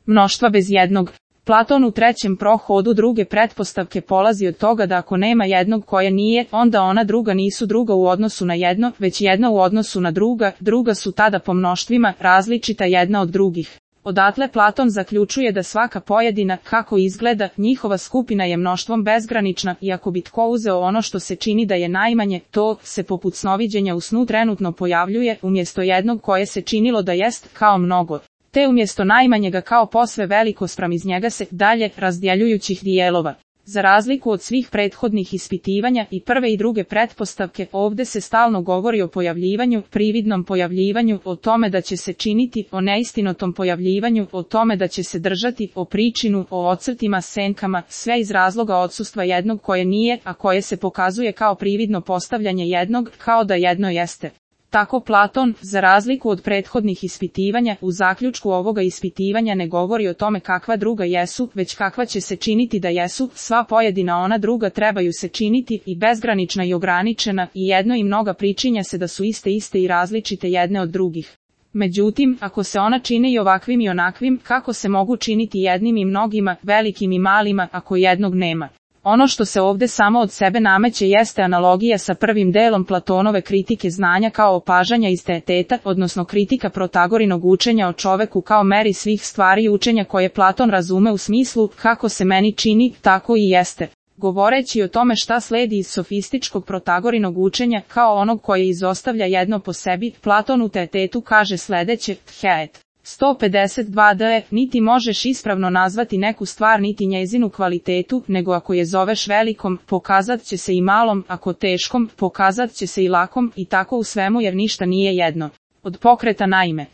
mnoštva bez jednog. Platon u trećem prohodu druge pretpostavke polazi od toga da ako nema jednog koje nije, onda ona druga nisu druga u odnosu na jedno, već jedna u odnosu na druga, druga su tada po mnoštvima, različita jedna od drugih. Odatle Platon zaključuje da svaka pojedina, kako izgleda, njihova skupina je mnoštvom bezgranična i ako bi tko uzeo ono što se čini da je najmanje, to se poput snoviđenja u snu trenutno pojavljuje, umjesto jednog koje se činilo da jest, kao mnogo. Te umjesto najmanjega kao posve veliko spram iz njega se dalje razdjeljujućih dijelova. Za razliku od svih prethodnih ispitivanja i prve i druge pretpostavke, ovdje se stalno govori o pojavljivanju, prividnom pojavljivanju, o tome da će se činiti, o neistinotom pojavljivanju, o tome da će se držati, o pričinu, o ocrtima, senkama, sve iz razloga odsustva jednog koje nije, a koje se pokazuje kao prividno postavljanje jednog, kao da jedno jeste. Tako Platon, za razliku od prethodnih ispitivanja, u zaključku ovoga ispitivanja ne govori o tome kakva druga jesu, već kakva će se činiti da jesu, sva pojedina ona druga trebaju se činiti, i bezgranična i ograničena, i jedno i mnoga pričinja se da su iste i različite jedne od drugih. Međutim, ako se ona čine i ovakvim i onakvim, kako se mogu činiti jednim i mnogima, velikim i malima, ako jednog nema? Ono što se ovdje samo od sebe nameće jeste analogija sa prvim delom Platonove kritike znanja kao opažanja iz teeteta, odnosno kritika Protagorinog učenja o čoveku kao meri svih stvari i učenja koje Platon razume u smislu kako se meni čini, tako i jeste. Govoreći o tome šta sledi iz sofističkog Protagorinog učenja kao onog koje izostavlja jedno po sebi, Platon u teetetu kaže sledeće, Theet. 152d, niti možeš ispravno nazvati neku stvar niti njezinu kvalitetu, nego ako je zoveš velikom, pokazat će se i malom, ako teškom, pokazat će se i lakom, i tako u svemu jer ništa nije jedno. Od pokreta naime.